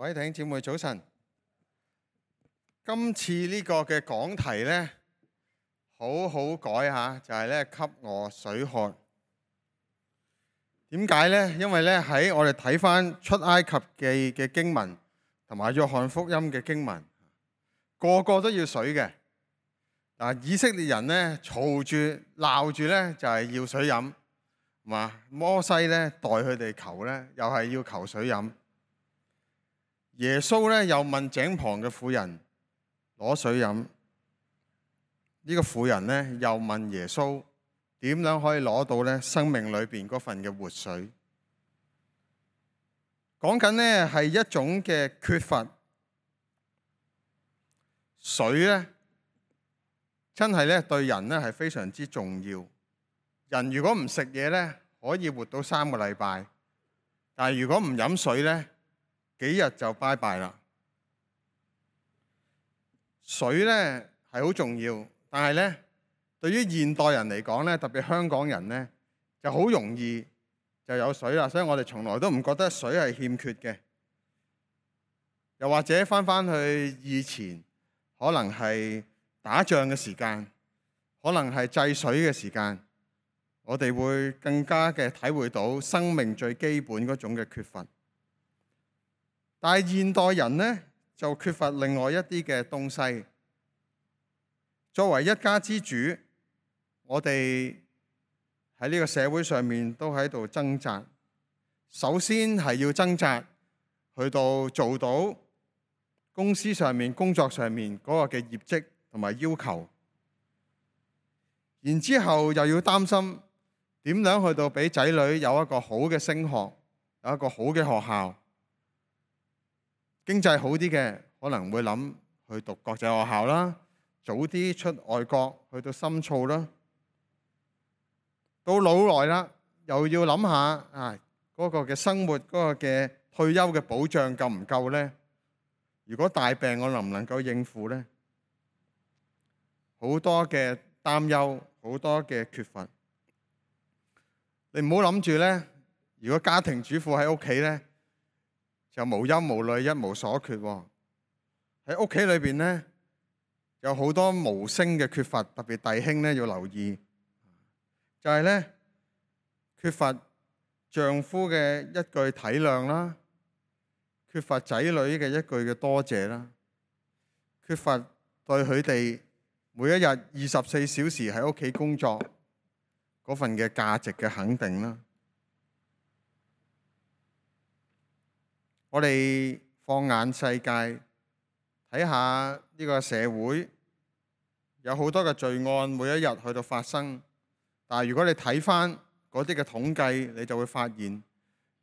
各位弟兄姊妹早晨。今次呢個嘅講題呢，好好改下，就係呢：給我水喝。點解呢？因為呢，喺我哋睇翻出埃及記嘅經文同埋約翰福音嘅經文，個個都要水嘅。以色列人呢，嘈住鬧住呢，就係要水飲，摩西呢，代佢哋求呢，又係要求水飲。耶穌呢，又問井旁嘅婦人攞水飲。呢個婦人呢，又問耶穌點樣可以攞到呢生命裏邊嗰份嘅活水。講緊呢係一種嘅缺乏水呢，真係呢對人呢係非常之重要。人如果唔食嘢呢，可以活到3個禮拜，但係如果唔飲水呢，幾日就拜拜啦。水呢係好重要，但係呢對於現代人嚟講呢，特別香港人呢，就好容易就有水啦，所以我哋從來都唔覺得水係欠缺嘅。又或者翻去以前，可能係打仗嘅時間，可能係制水嘅時間，我哋會更加嘅體會到生命最基本嗰種嘅缺乏。但係現代人呢，就缺乏另外一啲嘅東西。作為一家之主，我哋喺呢個社會上面都喺度掙扎。首先係要掙扎去到做到公司上面、工作上面嗰個嘅業績同埋要求，然之後又要擔心點樣去到俾仔女有一個好嘅升學，有一個好嘅學校。經濟好啲嘅可能會諗去讀國際學校啦，早啲出外國去到深造啦。到老來啦，又要諗下嗰個嘅生活，嗰個嘅退休嘅保障夠唔夠呢？如果大病我能唔能夠應付呢？好多嘅擔憂，好多嘅缺乏。你唔好諗住呢，如果家庭主婦喺屋企呢，就無憂無慮，一無所缺。喺屋企裏邊呢，有好多無聲嘅缺乏，特別弟兄呢要留意，就係呢，缺乏丈夫嘅一句體諒啦，缺乏仔女嘅一句嘅多謝啦，缺乏對佢哋每一日24小時喺屋企工作嗰份嘅價值嘅肯定啦。我哋放眼世界，睇下呢個社會有好多嘅罪案，每一日去到發生。但係如果你睇翻嗰啲嘅統計，你就會發現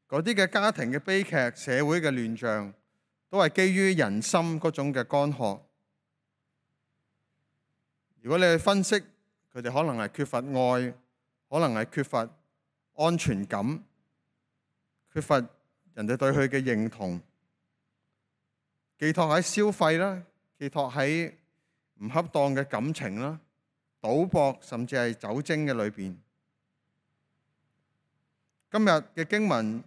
嗰啲嘅家庭嘅悲劇、社會嘅亂象，都係基於人心嗰種嘅乾渴。如果你去分析，佢哋可能係缺乏愛，可能係缺乏安全感，缺乏人哋對佢嘅認同，寄託喺消費啦，寄託喺唔恰當嘅感情啦，賭博甚至係酒精嘅裏邊。今日嘅經文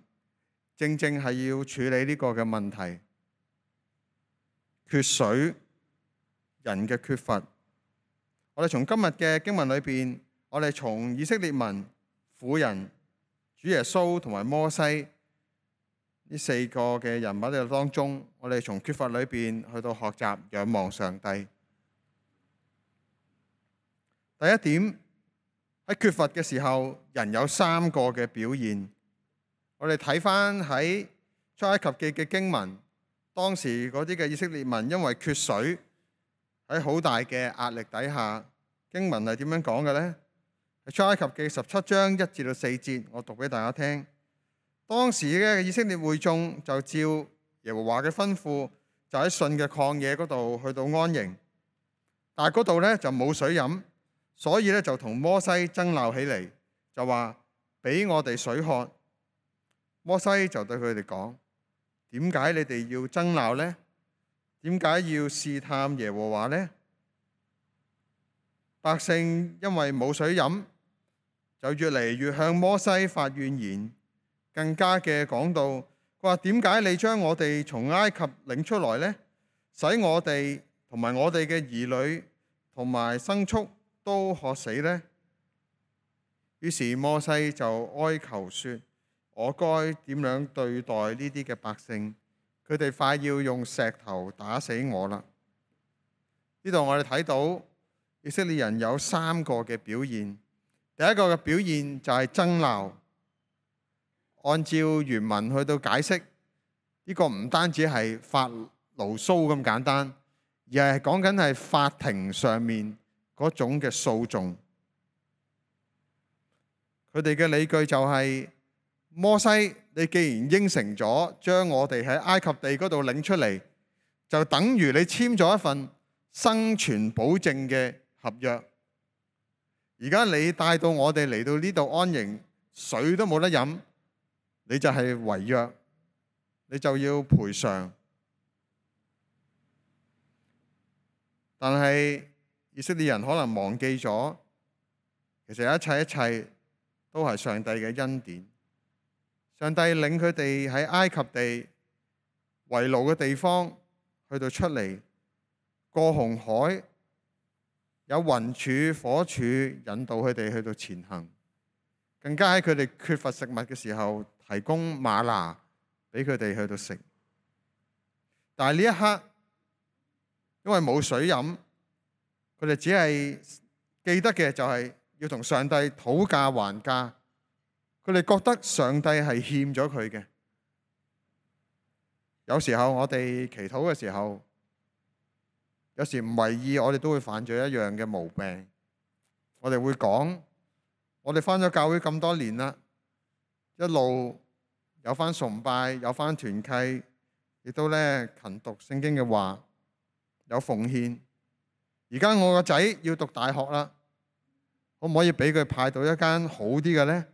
正正係要處理呢個嘅問題，缺水，人嘅缺乏。我哋從今日嘅經文裏邊，我哋從以色列民、婦人、主耶穌同埋摩西呢4個嘅人物嘅當中，我哋從缺乏裏邊去到學習仰望上帝。第一點，喺缺乏嘅時候，人有3個嘅表現。我哋睇翻喺出埃及記嘅經文，當時嗰啲嘅以色列民因為缺水，喺好大嘅壓力底下，經文係點樣講嘅呢？喺出埃及記17章1至4節，我讀俾大家聽。當時嘅以色列會眾就照耶和華嘅吩咐，就喺順嘅曠野嗰度去到安營，但係嗰度呢就冇水飲，所以呢就同摩西爭鬧起嚟，就話俾我哋水喝。摩西就對佢哋講：點解你哋要爭鬧呢？點解要試探耶和華呢？百姓因為冇水飲，就越嚟越向摩西發怨言，更加嘅講到佢話點解你將我哋從埃及領出來呢？使我哋同埋我哋嘅兒女同埋牲畜都渴死呢？於是摩西就哀求說：我該點樣對待呢啲嘅百姓？佢哋快要用石頭打死我啦！呢度我哋睇到以色列人有3個嘅表現。第一個嘅表現就係爭鬧。按照原文去到解釋，呢個唔單止係發牢騷咁簡單，而係講緊係法庭上面嗰種嘅訴訟。佢哋嘅理據就係：摩西，你既然應承咗將我哋喺埃及地嗰度領出嚟，就等於你簽咗一份生存保證嘅合約。而家你帶到我哋嚟到呢度安營，水都冇得飲，你就係違約，你就要賠償。但係以色列人可能忘記咗，其實一切都係上帝嘅恩典。上帝領佢哋喺埃及地為奴嘅地方去到出嚟，過紅海，有雲柱火柱引導佢哋去到前行，更加喺佢哋缺乏食物嘅時候提供嗎哪俾佢哋去到食。但係呢一刻，因為冇水飲，佢哋只係記得嘅就係要同上帝討價還價。佢哋覺得上帝係欠咗佢嘅。有時候我哋祈禱嘅時候，有時唔為意，我哋都會犯咗一樣嘅毛病。我哋會講：我哋返咗教會咁多年啦，一路有返崇拜，有返團契，亦都勤讀聖經嘅話，有奉獻。而家我個仔要讀大學啦，可唔可以俾佢派到一間好啲嘅呢？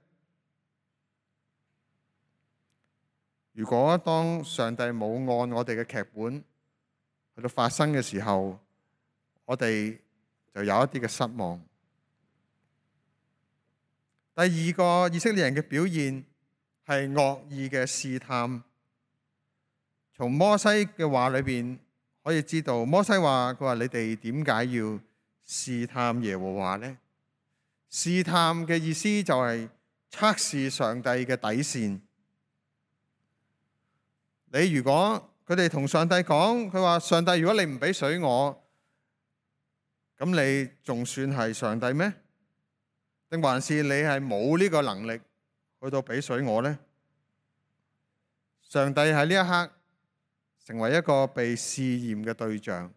如果當上帝冇按我哋嘅劇本去到發生嘅時候，我哋就有一啲嘅失望。第二個以色列人嘅表現係惡意嘅試探。從摩西嘅話裏邊可以知道，摩西話：佢話你哋點解要試探耶和華呢？試探嘅意思就係測試上帝嘅底線。你如果佢哋同上帝講，佢話：上帝，如果你唔俾水我，咁你仲算係上帝咩？定還是你係冇呢個能力去到俾水我呢？上帝喺呢一刻成為一個被試驗嘅對象，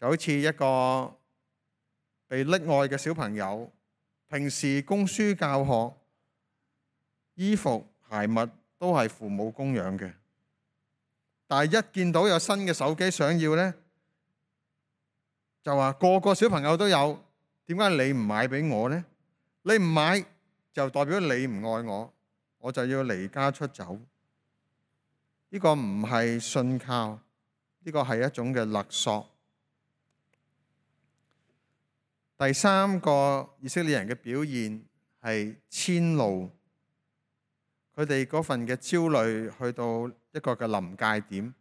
就好似一個被溺愛嘅小朋友，平時供書教學、衣服鞋襪都係父母供養嘅，但係一見到有新嘅手機想要呢，就話個個小朋友都有，點解你唔買俾我呢？你唔買就代表你唔愛我，我就要離家出走。呢個唔係信靠，呢個係一種嘅勒索。第三個以色列人嘅表現係遷怒，佢哋嗰份嘅焦慮去到一個嘅臨界點，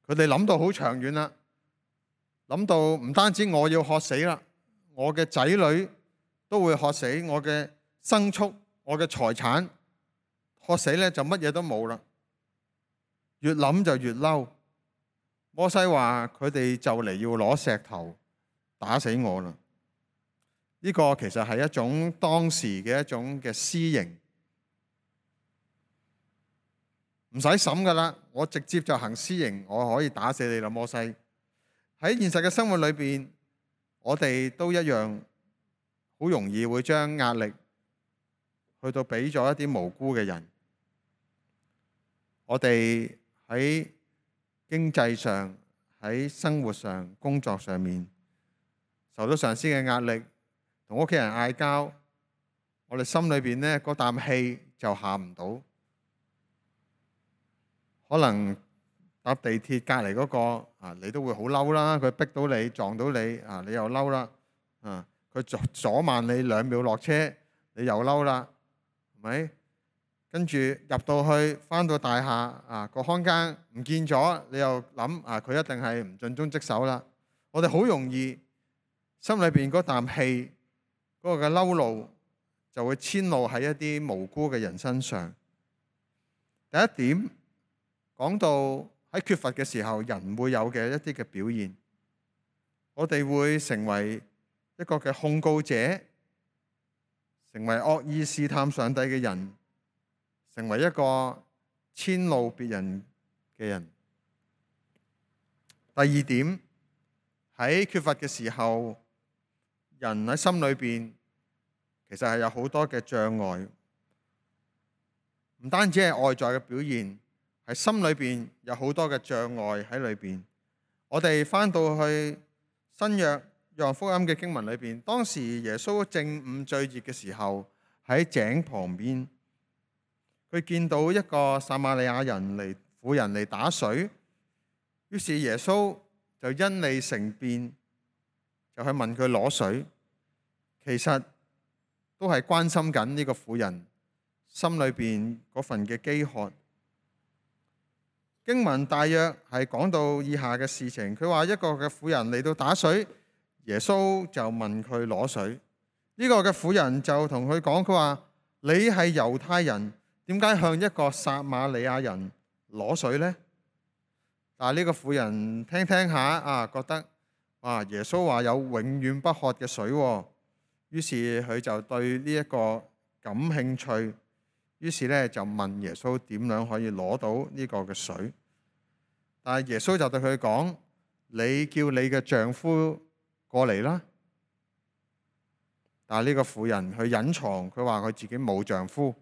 佢哋諗到好長遠啦，諗到唔單止我要渴死啦，我嘅仔女都會渴死，我嘅牲畜、我嘅財產渴死咧，就乜嘢都冇啦。越諗就越嬲。摩西話佢哋就嚟要攞石頭打死我啦。呢個其實係一種當時嘅一種嘅私刑，唔使審噶啦，我直接就行私刑，我可以打死你啦。摩西喺現實嘅生活裏邊，我哋都一樣，好容易會將壓力去到俾咗一啲無辜嘅人。我哋喺經濟上、喺生活上、工作上面受到上司嘅壓力，同屋企人嗌交，我哋心裏邊呢嗰啖氣就下唔到。可能搭地鐵隔離嗰個你都會好嬲啦，佢逼到你撞到你你又嬲啦。佢阻慢你2秒落車，你又嬲啦。咪？跟住入到去，返到大廈個看更唔見咗，你又諗佢一定係唔盡忠職守啦。我哋好容易心裏邊嗰啖氣，嗰個嘅嬲怒就會遷怒喺一啲無辜嘅人身上。第一點講到喺缺乏嘅時候，人會有嘅一啲嘅表現，我哋會成為一個嘅控告者，成為惡意試探上帝嘅人，成為一個遷怒別人嘅人。第二點，喺缺乏嘅時候，人喺心裏邊其實係有好多嘅障礙，唔單止係外在嘅表現，係心裏邊有好多嘅障礙喺裏邊。我哋翻到去新約約翰福音嘅經文裏邊，當時耶穌正午最熱嘅時候，喺井旁邊，佢見到一個撒瑪利亞婦人嚟打水，於是耶穌就因利乘便，就去問佢攞水。其實都係關心緊呢個婦人心裏邊嗰份嘅飢渴。經文大約係講到以下嘅事情，佢話一個嘅婦人嚟到打水，耶穌就問佢攞水。呢個嘅婦人就同佢講，佢話你係猶太人，點解向一個撒瑪利亞人攞水呢？但係呢個婦人聽聽下覺得耶穌話有永遠不渴嘅水，於是佢就對呢一個感興趣，於是咧就問耶穌點樣可以攞到呢個嘅水。但係耶穌就對佢講：你叫你嘅丈夫過嚟啦。但係呢個婦人去隱藏，佢話佢自己冇丈夫。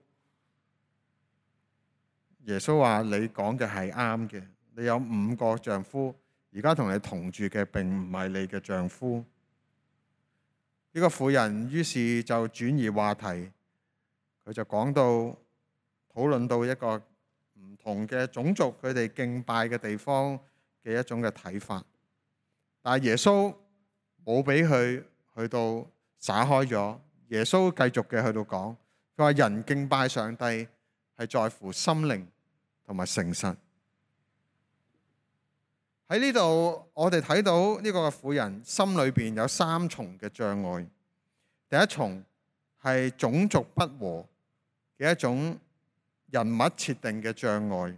耶穌話：你講嘅係啱嘅，你有5個丈夫，而家同你同住嘅並唔係你嘅丈夫。呢個婦人於是就轉移話題，佢就講到討論到一個唔同嘅種族佢哋敬拜嘅地方嘅一種嘅睇法。但係耶穌冇俾佢去到灑開咗，耶穌繼續嘅去到講，佢話人敬拜上帝係在乎心靈同埋誠實。喺呢度我哋睇到呢個婦人心裏邊有3重嘅障礙。第一重係種族不和嘅一種人物設定嘅障礙。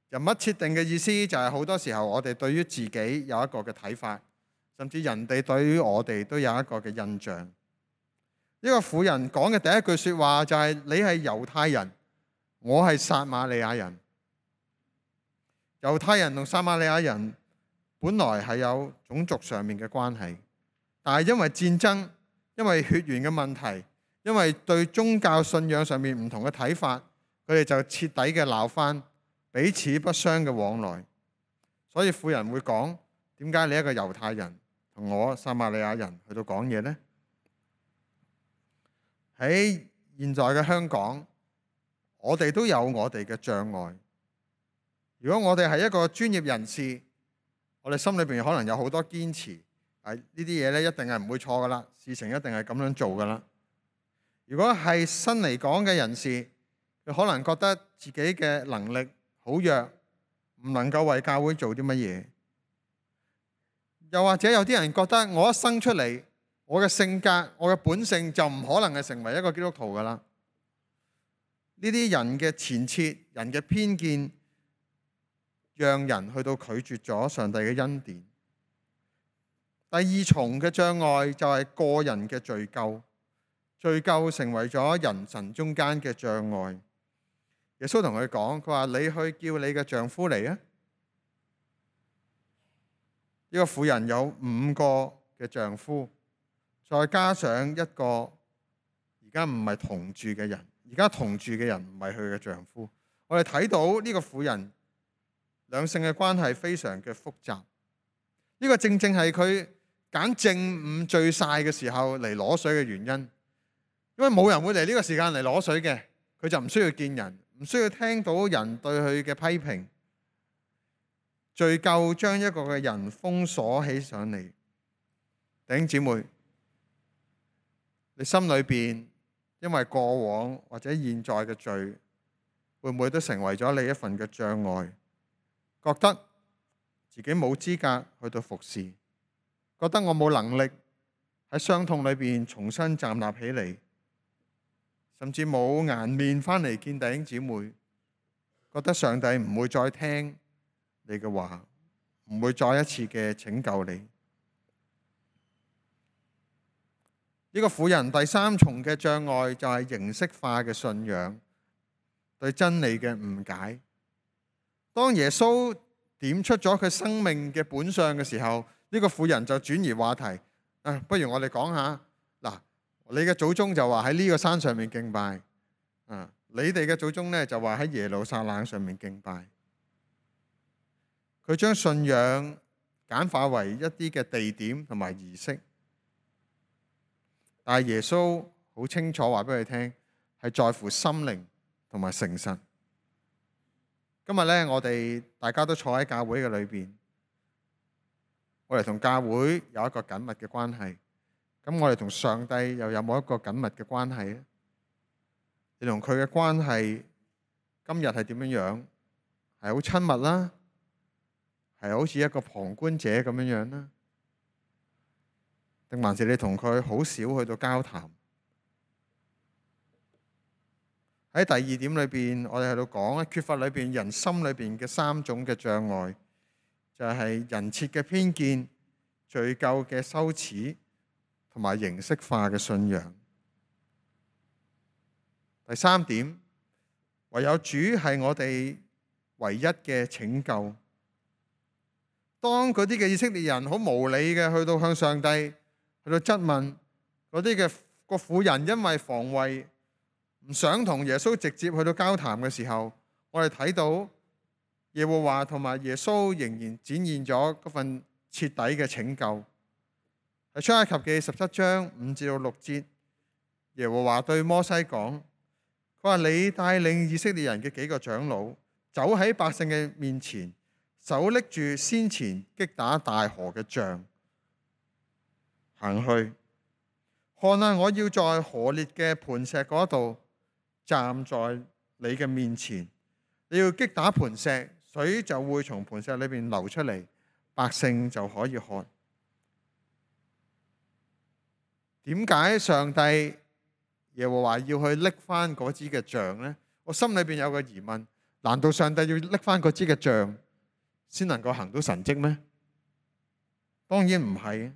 人物設定嘅意思就係好多時候我哋對於自己有一個嘅睇法，甚至人哋對於我哋都有一個嘅印象。呢個婦人講嘅第一句說話就係你係猶太人，我係撒瑪利亞人。猶太人同撒瑪利亞人本來係有種族上面嘅關係，但係因為戰爭，因為血緣嘅問題，因為對宗教信仰上面唔同嘅睇法，佢哋就徹底嘅鬧翻，彼此不相嘅往來。所以婦人會講：點解你一個猶太人同我撒瑪利亞人去到講嘢呢？喺現在嘅香港，我哋都有我哋嘅障礙。如果我哋係一個專業人士，我哋心裏邊可能有好多堅持，呢啲嘢咧一定係唔會錯噶啦，事情一定係咁樣做噶啦。如果係新嚟講嘅人士，佢可能覺得自己嘅能力好弱，唔能夠為教會做啲乜嘢。又或者有啲人覺得我一生出嚟，我嘅性格、我嘅本性就唔可能係成為一個基督徒噶啦。呢啲人嘅前設、人嘅偏見，讓人去到拒絕咗上帝嘅恩典。第二重嘅障礙就係個人嘅罪疚，罪疚成為咗人神中間嘅障礙。耶穌同佢講，佢話你去叫你嘅丈夫嚟啊。呢個婦人有5個嘅丈夫，再加上一個而家唔係同住嘅人，而家同住嘅人唔係佢嘅丈夫。我哋睇到呢個婦人兩性嘅關係非常嘅複雜。呢個正正係佢揀正午最曬嘅時候嚟攞水嘅原因，因為冇人會嚟呢個時間嚟攞水嘅，佢就唔需要見人，唔需要聽到人對佢嘅批評。罪疚將一個嘅人封鎖起上嚟。弟兄姊妹，你心裏邊因為過往或者現在嘅罪，會唔會都成為咗你一份嘅障礙？覺得自己冇資格去到服侍，覺得我冇能力喺傷痛裏邊重新站立起嚟，甚至冇顏面返嚟見弟兄姊妹，覺得上帝唔會再聽你嘅話，唔會再一次嘅拯救你。呢個婦人第三重嘅障礙就係形式化嘅信仰，對真理嘅誤解。當耶穌點出咗佢生命嘅本相嘅時候，呢個婦人就轉移話題。不如我哋講下嗱，你嘅祖宗就話喺呢個山上面敬拜，你哋嘅祖宗呢就話喺耶路撒冷上面敬拜。佢將信仰簡化為一啲嘅地點同埋儀式，但係耶穌好清楚話俾佢聽，係在乎心靈同埋誠實。今日呢，我哋大家都坐喺教會嘅裏邊，我哋同教會有一個緊密嘅關係。咁我哋同上帝又有冇一個緊密嘅關係呢？你同佢嘅關係今日係點樣樣？係好親密啦，係好似一個旁觀者咁樣樣啦，定還是你同佢好少去到交談？喺第二點裏邊，我哋喺度講缺乏裏邊人心裏邊嘅三種嘅障礙，就係人設嘅偏見、罪疚嘅羞恥同埋形式化嘅信仰。第三點，唯有主係我哋唯一嘅拯救。當嗰啲嘅以色列人好無理嘅去到向上帝去到質問，嗰啲嘅個婦人因為防衛唔想同耶穌直接去到交談嘅時候，我哋睇到耶和華同埋耶穌仍然展現咗嗰份徹底嘅拯救。喺出埃及記17章5至6節，耶和華對摩西講，佢話你帶領以色列人嘅幾個長老走喺百姓嘅面前，手拎住先前擊打大河嘅杖行去，看啊，我要在河裂嘅磐石嗰度站在你嘅面前，你要擊打磐石，水就會從磐石裏邊流出嚟，百姓就可以喝。點解上帝耶和華要去拎翻嗰支嘅杖呢？我心裏邊有個疑問，難道上帝要拎翻嗰支嘅杖先能夠行到神蹟咩？當然唔係。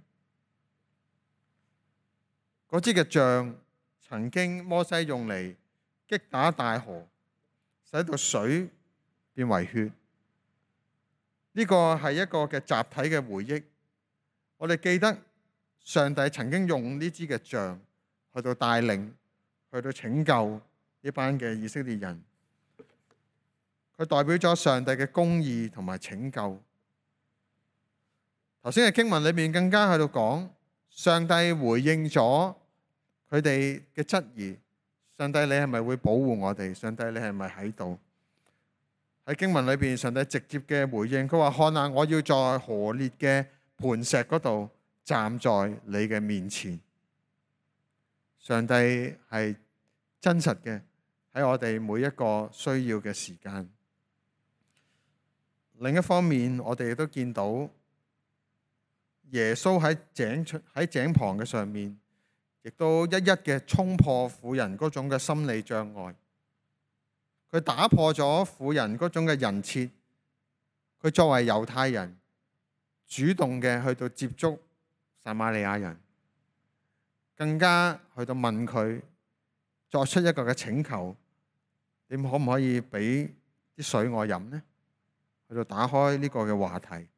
嗰支嘅杖曾經摩西用嚟擊打大河，使到水變為血。呢個係一個嘅集體嘅回憶。我哋記得上帝曾經用呢支嘅杖去到帶領，去到拯救呢班嘅以色列人。佢代表咗上帝嘅公義同埋拯救。頭先嘅經文裏面更加喺度講，上帝回應咗佢哋嘅質疑。上帝，你係咪會保護我哋？上帝，你係咪喺度？喺經文裏邊，上帝直接嘅回應，佢話：看啊，我要在河裂嘅磐石嗰度站在你嘅面前。上帝係真實嘅，喺我哋每一個需要嘅時間。另一方面，我哋亦都見到耶穌喺井旁嘅上面，亦都一一嘅衝破婦人嗰種嘅心理障礙。佢打破咗婦人嗰種嘅人設。佢作為猶太人，主動嘅去到接觸撒瑪利亞人，更加去到問佢，作出一個嘅請求：你可唔可以俾啲水我飲呢？去到打開呢個嘅話題。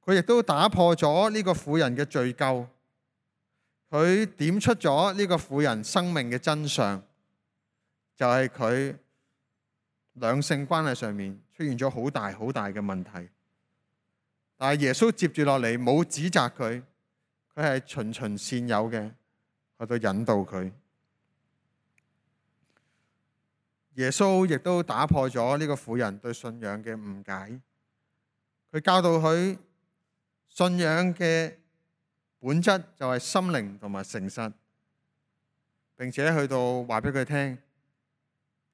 佢亦都打破咗呢個婦人嘅罪疚。佢點出咗呢個婦人生命嘅真相，就係佢兩性關係上面出現咗好大好大嘅問題。但係耶穌接住落嚟冇指責佢，佢係循循善誘嘅去到引導佢。耶穌亦都打破咗呢個婦人對信仰嘅誤解。佢教導佢信仰嘅本質就係心靈同埋誠實。並且去到話俾佢聽，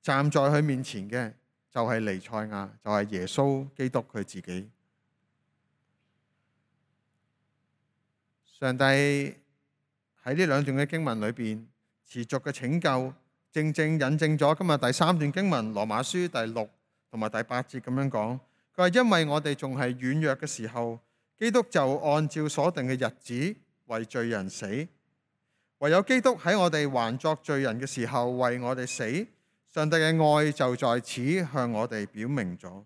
站在佢面前嘅就係彌賽亞，就係耶穌基督佢自己。上帝喺呢兩段嘅經文裏邊持續嘅拯救，正正引證咗今日第三段經文羅馬書第6同埋第8節咁樣講。佢話因為我哋仲係軟弱嘅時候，基督就按照所定嘅日子為罪人死。唯有基督喺我哋還作罪人嘅時候為我哋死，上帝嘅愛就在此向我哋表明咗。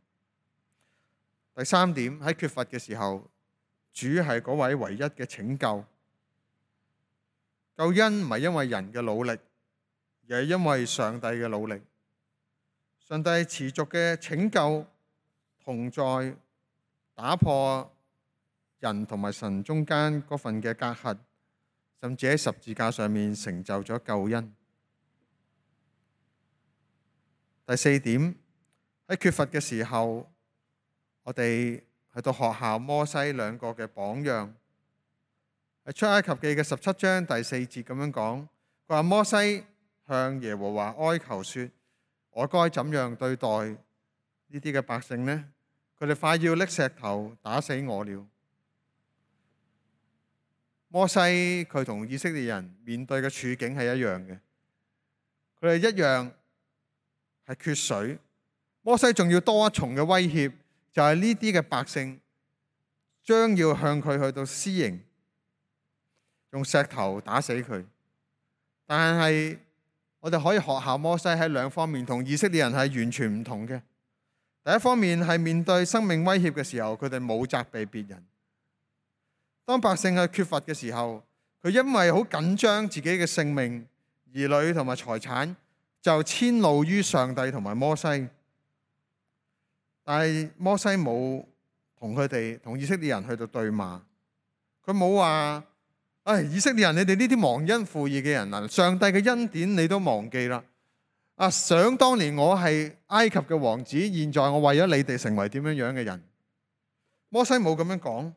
第三點，喺缺乏嘅時候，主係嗰位唯一嘅拯救。救恩唔係因為人嘅努力，而係因為上帝嘅努力。上帝持續嘅拯救同在，打破人同埋神中間嗰份嘅隔閡，甚至喺十字架上面成就咗救恩。第四點，喺缺乏嘅時候，我哋去到學效摩西兩個嘅榜樣。喺出埃及記嘅17章第4節咁樣講，佢話摩西向耶和華哀求說：我該怎樣對待呢啲嘅百姓呢？佢哋快要拎石頭打死我了。摩西佢同以色列人面對嘅處境係一樣嘅，佢哋一樣係缺水。摩西仲要多一重嘅威脅，就係呢啲嘅百姓將要向佢去到施刑，用石頭打死佢。但係我哋可以學效摩西喺兩方面同以色列人係完全唔同嘅。第一方面係面對生命威脅嘅時候，佢哋冇責備別人。當百姓係缺乏嘅時候，佢因為好緊張自己嘅性命、兒女同埋財產，就遷怒於上帝同埋摩西。但係摩西冇同以色列人去到對罵，佢冇話：以色列人，你哋呢啲忘恩負義嘅人啊，上帝嘅恩典你都忘記啦。想當年我係埃及嘅王子，現在我為咗你哋成為點樣樣嘅人。摩西冇咁樣講。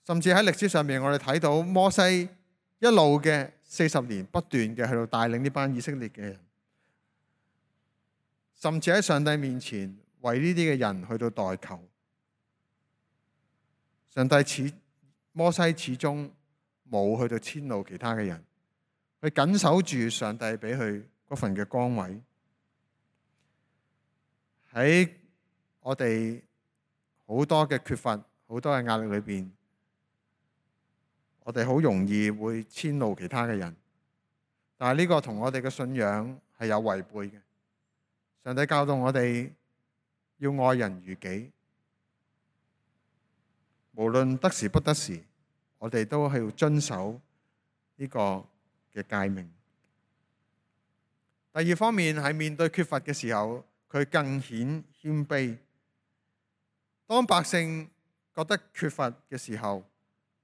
甚至喺歷史上面，我哋睇到摩西一路嘅40年不斷嘅去到帶領呢班以色列嘅人，甚至喺上帝面前為呢啲嘅人去到代求。摩西始終冇去到遷怒其他嘅人，佢緊守住上帝俾佢嗰份嘅崗位。喺我哋好多嘅缺乏、好多嘅壓力裏邊，我哋好容易會遷怒其他嘅人，但係呢個同我哋嘅信仰係有違背嘅。上帝教導我哋要愛人如己，無論得時不得時，我哋都係要遵守呢個嘅誡命。第二方面係面對缺乏嘅時候，佢更顯謙卑。當百姓覺得缺乏嘅時候，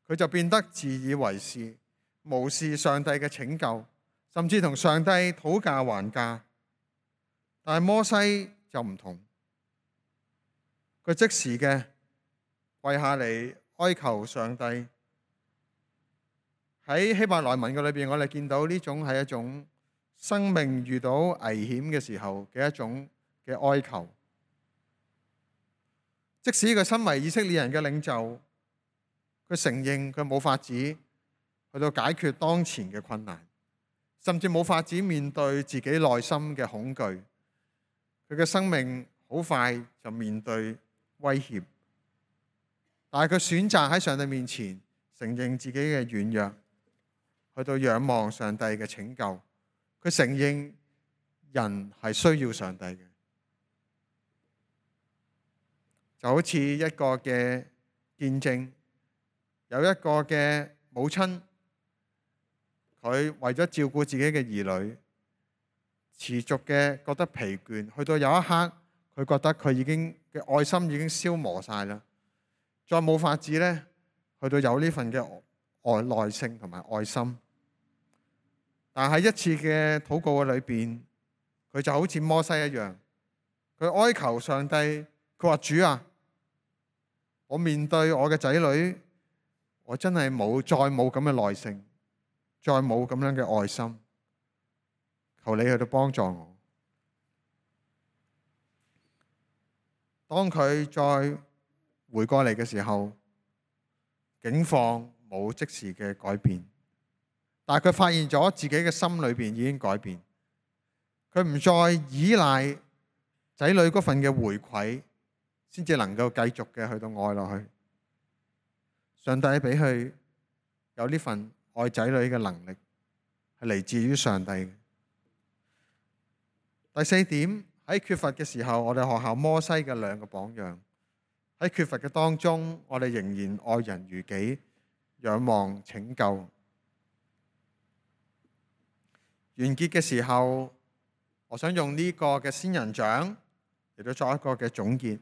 佢就變得自以為是，無視上帝嘅拯救，甚至同上帝討價還價。但係摩西就唔同，佢即時嘅跪下嚟哀求上帝。喺希伯來文嘅裏邊，我哋見到呢種係一種生命遇到危險嘅時候嘅一種嘅哀求。即使佢身為以色列人嘅領袖，佢承認佢冇法子去到解決當前嘅困難，甚至冇法子面對自己內心嘅恐懼。佢嘅生命好快就面對威脅，但係佢選擇喺上帝面前承認自己嘅軟弱，去到仰望上帝嘅拯救。佢承認人係需要上帝嘅，就好似一個嘅見證。有一個嘅母親，佢為咗照顧自己嘅兒女，持續嘅覺得疲倦，去到有一刻，佢覺得佢已經嘅愛心已經消磨晒啦，再冇法子咧，去到有呢份嘅耐性同埋愛心。但係一次嘅禱告嘅裏邊，佢就好似摩西一樣，佢哀求上帝，佢話：主啊，我面對我嘅仔女，我真係再冇咁嘅耐性，再冇咁樣嘅愛心，求你去到幫助我。當佢再回過嚟嘅時候，境況冇即時嘅改變，但係佢發現咗自己嘅心裏邊已經改變。佢唔再依賴仔女嗰份嘅回饋，先至能夠繼續嘅去到愛落去。上帝俾佢有呢份愛仔女嘅能力，係嚟自於上帝嘅。第四點，喺缺乏嘅時候，我哋學校摩西嘅兩個榜樣。喺缺乏嘅當中，我哋仍然愛人如己，仰望拯救。完結嘅時候，我想用呢個嘅仙人掌嚟到作一個嘅總結。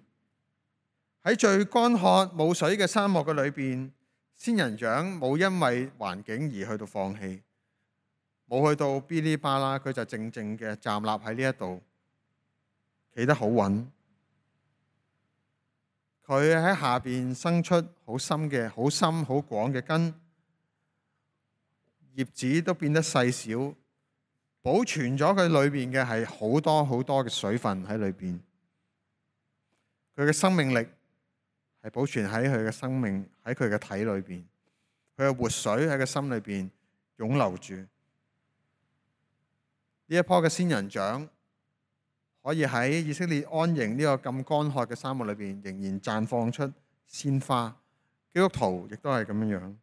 喺最乾渴冇水嘅沙漠嘅裏邊，仙人掌冇因為環境而去到放棄，冇去到嗶哩吧啦，佢就靜靜嘅站立喺呢一度，企得好穩。佢喺下邊生出好深好廣嘅根，葉子都變得細小，保存咗佢裏邊嘅係好多嘅水分喺裏邊。佢嘅生命力係保存喺佢嘅生命喺佢嘅體裏邊，佢嘅活水喺佢心裏邊湧流住。呢一棵嘅仙人掌可以喺以色列安營呢個咁乾渴嘅沙漠裏邊，仍然綻放出鮮花。基督徒亦都係咁樣。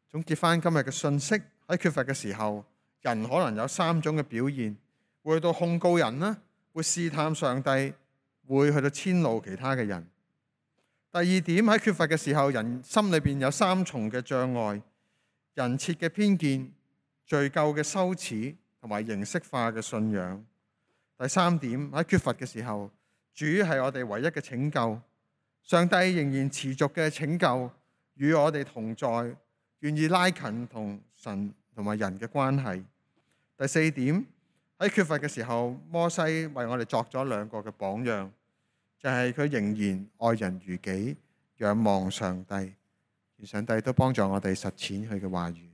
總結翻今日嘅信息，喺缺乏嘅時候，人可能有三種嘅表現：會去到控告人啦，會試探上帝，會去到遷怒其他嘅人。第二點，喺缺乏嘅時候，人心裏邊有三重嘅障礙：人設嘅偏見、罪疚嘅羞恥，同埋形式化嘅信仰。第三點，喺缺乏嘅時候，主係我哋唯一嘅拯救，上帝仍然持續嘅拯救，與我哋同在，願意拉近同神同埋人嘅關係。第四點，喺缺乏嘅時候，摩西為我哋作咗兩個嘅榜樣，就係佢仍然愛人如己，仰望上帝，而上帝都幫助我哋實踐佢嘅話語。